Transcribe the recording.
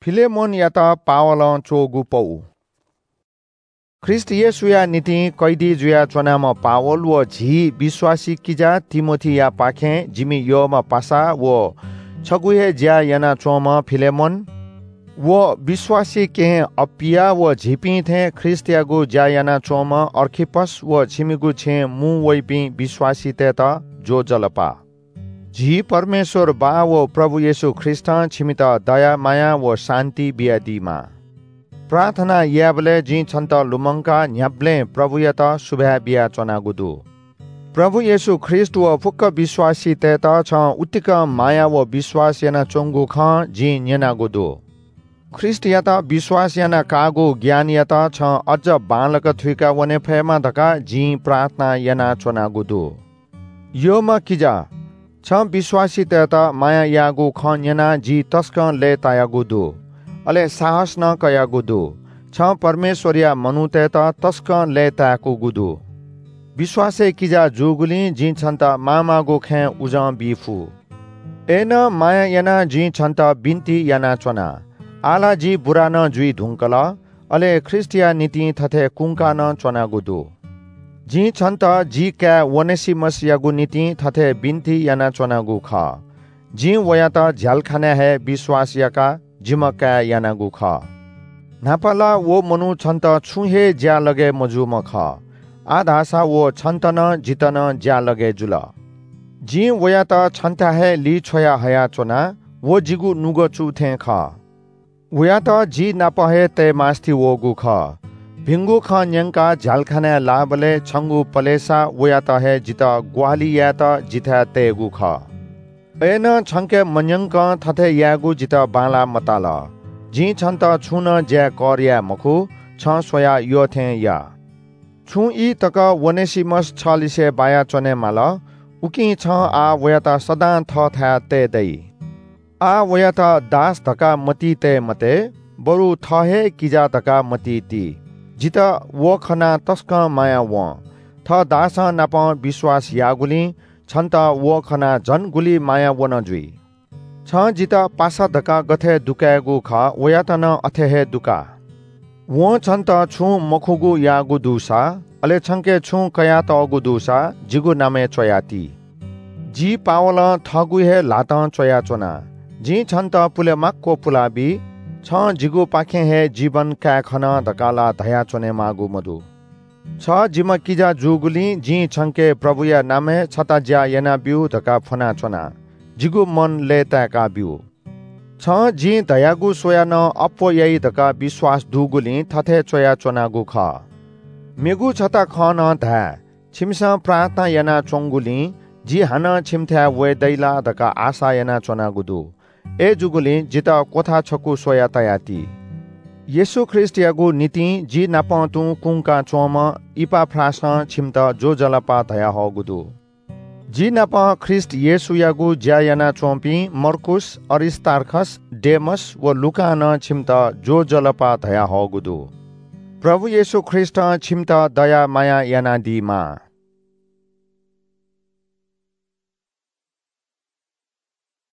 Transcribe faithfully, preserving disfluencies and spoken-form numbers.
फिलेमोनयात पावलं च्वःगु पौ। ख्रीष्ट येशूया निंतिं कैदी जुयाच्वनाम्ह पावल व झी विश्वासी किजा तिमोथीयापाखें जिमि यःम्ह पासा व छगू हे ज्या यानाच्वंम्ह फिलेमोन व विश्वासी केहेँ अप्‍पिया व झीपिं थें ख्रीष्टयागु ज्या यानाच्वंम्ह अर्खिप्‍पस व छिमिगु छेँय् मू वइपिं विश्वासीतय्‌त ज्‍वजलपा। झी परमेश्‍वर बाः व प्रभु येशू ख्रीष्‍टं छिमित दया माया व शान्‍ति बियादीमा। प्रार्थना यायेबलय् जिं छन्‍त लुमंकाः न्‍ह्याबलें प्रभुयात सुभाय् बियाच्‍वनागु दु। प्रभु येशू ख्रीष्‍ट व फुक्‍क विश्‍वासीतय्‌त छं उतिकं माया व विश्‍वास यानाच्‍वंगु खँ जिं न्‍यनागु दु। ख्रीष्‍टयात विश्‍वास याना काःगु ज्ञानयात छं अझ बांलाक थुइका वने फयेमा धकाः जिं प्रार्थना यानाच्‍वनागु दु। यःम्‍ह किजा, छं विश्‍वासीतय्‌त माया याःगु खँ न्‍यनाः जि तसकं लय्‌तायागु दु, अले साहस नं कयागु दु। छं परमेश्‍वरया मनूतय्‌त तसकं लय्‌ताय्‌कूगु दु। विश्‍वासय् किजा जूगुलिं जिं छन्‍त माःमाःगु खँय् उजं बी फु। अय्‌नं माया यानाः जिं छन्‍त बिन्‍ति यानाच्‍वना। आः ला जि बुरा नं जुइ धुंकल, अले ख्रीष्‍टया निंतिं थथे कुंका नं च्‍वनागु दु। जिं छन्‍त जि काय् ओनेसिमसयागु निंतिं थथे बिन्‍ति यानाच्‍वनागु खः। जिं वयात झ्‍यालखानाय् हे विश्‍वास याकाः जिम्‍ह काय् यानागु खः। न्‍हापा ला व मनू छन्‍त छुं हे ज्‍यालगय् मजूम्‍ह खः। आः धाःसा व छन्‍त नं जितः नं ज्‍यालगय् जुल। जिं वयात छन्‍थाय् हे लिछ्वया हयाच्‍वना। व जिगु नुगः चू थें खः। वयात जि नाप हे तयेमास्‍ति वःगु खः। भिंगु खँ न्‍यंकाः झ्‍यालखानाय् लाःबलय् छंगु पलेसा वयात हे जितः ग्‍वाहालि यायेत जिथाय् तयेगु खः। अय्‌नं छंके मन्‍यंकं थथे यायेगु जितः बांलाः मताल। जिं छन्‍त छुं नं ज्‍याय् कर याये मखु, छं स्‍वयाः यः थें या। छुं ई तक ओनेसिमस छलिसे बायाच्‍वने माल, उकिं छं आः वयात सदां थःथाय् तये दइ। आः वयात दास धकाः मतिइ तये मते, बरु थः हे किजा धकाः मतिइ ति। जितः व खनाः तसकं माया वं। थः दासं नापं विश्‍वास याःगुलिं छन्‍त व खनाः झन गुलि माया वन जुइ। छं जितः पासा धकाः गथे दुकायेगु खः, वयात नं अथे हे दुका। वं छन्‍त छुं मखुगु याःगु दुसा, अले छंके छुं कयातःगु दुसा, जिगु नामय् च्‍वयाति। जि पावलं थःगु हे ल्‍हातं च्‍वयाच्‍वना। जिं छन्‍त पुलेमाक्‍व पुलाबी। छं जिगुपाखें हे जीवन काये खन धकाः ला धयाच्‍वनेमाःगु मदु। छ जिम्‍ह किजा जूगुलिं जिं छंके प्रभुया नामय् छता ज्‍या यानाब्‍यु धकाः फ्‍वनाच्‍वना। जिगु मन लय्‌ताय्‌काब्‍यु। छं जिं धयागु स्‍वयाः नं अप्‍वः याइ धकाः विश्‍वास दुगुलिं थथे च्‍वयाच्‍वनागु खः। मेगु छता खँ नं धाये, छिमिसं प्रार्थना यानाच्‍वंगुलिं जि हानं छिमिथाय् वये दइ ला धकाः आशा यानाच्‍वनागु दु। अय्‌जूगुलिं जितः क्‍वथा छकू स्‍वयाः तयाति। येशू ख्रीष्‍टयागु निंतिं जि नाप तुं कुंका च्‍वंम्‍ह इपाफ्रासं छिमित ज्‍वजलपा धयाहःगु दु। जि नाप ख्रीष्‍ट येशूयागु ज्‍या यानाच्‍वंपिं मर्कूस, अरिस्‍तार्खस, डेमस व लूकां नं छिमित ज्‍वजलपा धयाहःगु दु। प्रभु येशू ख्रीष्‍टं छिमित दया माया यानादीमा।